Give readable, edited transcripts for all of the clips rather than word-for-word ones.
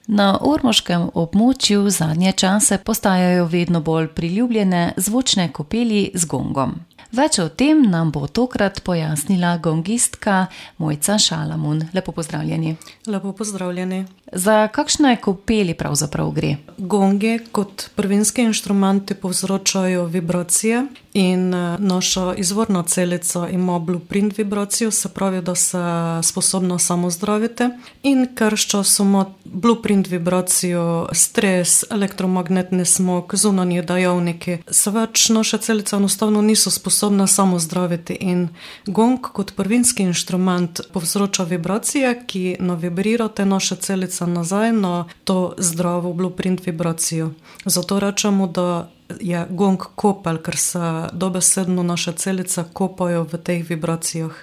Na ormoškem območju zadnje čase postajajo vedno bolj priljubljene zvočne kopeli z gongom. Več o tem nam bo tokrat pojasnila gongistka Mojca Šalamun. Lepo pozdravljeni. Lepo pozdravljeni. Za kakšne kopeli pravzaprav gre? Gongi kot prvinski inštrumenti povzročajo vibracije in naša izvorna celica ima blueprint vibracijo, se pravi, da se sposobna samozdraviti. In ker s časom ima blueprint vibracijo, stres, elektromagnetni smog, zunanji dejavniki, se več naša celica enostavno niso sposobna samozdraviti. In gong kot prvinski inštrument povzroča vibracije, ki navibrirate naše celice nazaj na to zdravo blueprint vibracijo. Zato rečemo, da je gong kopel, ker se dobesedno naše celice kopajo v teh vibracijah.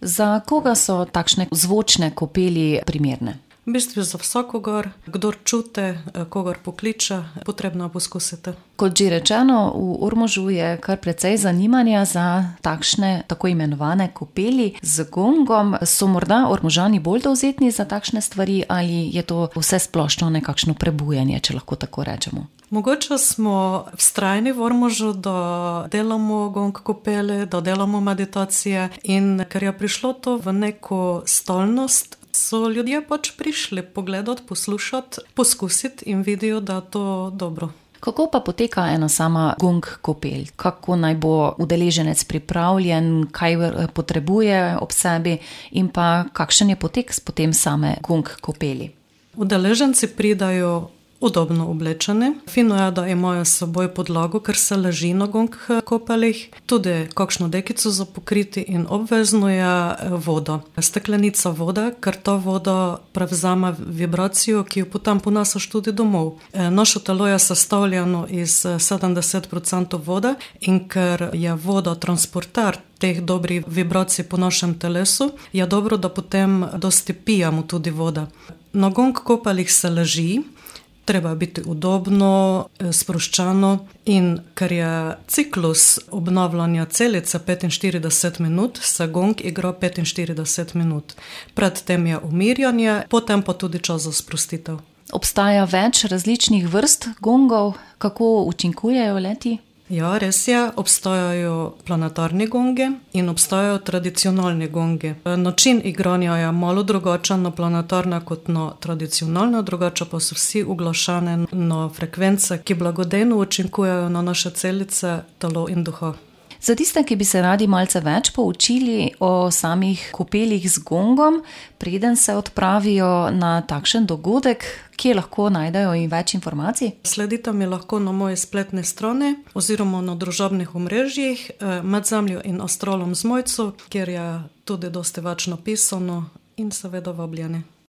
Za koga so takšne zvočne kopeli primerne? V bistvu za vsakogar, kdor čuti, kogar pokliče, potrebno poskusiti. Kot že rečeno, v Ormožu je kar precej zanimanja za takšne tako imenovane kopeli z gongom. So morda Ormožani bolj dovzetni za takšne stvari ali je to vse splošno nekakšno prebujanje, če lahko tako rečemo? Mogoče smo vztrajni v Ormožu, da delamo gong kopele, da delamo meditacije in ker je prišlo to v neko stalnost, so ljudje pač prišli pogledati, poslušati, poskusiti in vidijo, da je to dobro. Kako pa poteka ena sama gong kopel? Kako naj bo udeleženec pripravljen, kaj potrebuje ob sebi in pa kakšen je potek potem same gong kopeli? Udeleženci pridajo udobno oblečeni. Fino je, da imajo s seboj podlago, ker se leži na gong kopelih, tudi kakšno dekico za pokriti in obvezno je voda. Steklenica vode, ker ta voda prevzame vibracijo, ki jo potem ponesaš tudi domov. Naše telo je sestavljeno iz 70% vode in ker je voda transporter teh dobrih vibracij po našem telesu, je dobro, da potem dosti pijemo tudi vode. Na gong kopelih se leži, treba biti udobno, sproščeno in ker je ciklus obnavljanja celice 45 minut, se gong igra 45 minut. Predtem je umirjanje, potem pa tudi čas za sprostitev. Obstaja več različnih vrst gongov, kako učinkujejo le-ti? Ja, res je, obstajajo planetarni gongi in obstajajo tradicionalni gongi. Način igranja je malo drugačen na planetarne kot na tradicionalne, drugače pa so vsi uglašeni na frekvence, ki blagodejno učinkujejo na naše celice, telo in duha. Za tiste, ki bi se radi malce več poučili o samih kopelih z gongom, preden se odpravijo na takšen dogodek, kje lahko najdejo in več informacij? Sledite mi lahko na moji spletni strani oziroma na družabnih omrežjih Med zemljo in astralom z Mojco, kjer je tudi dosti več napisano in seveda vabljeni.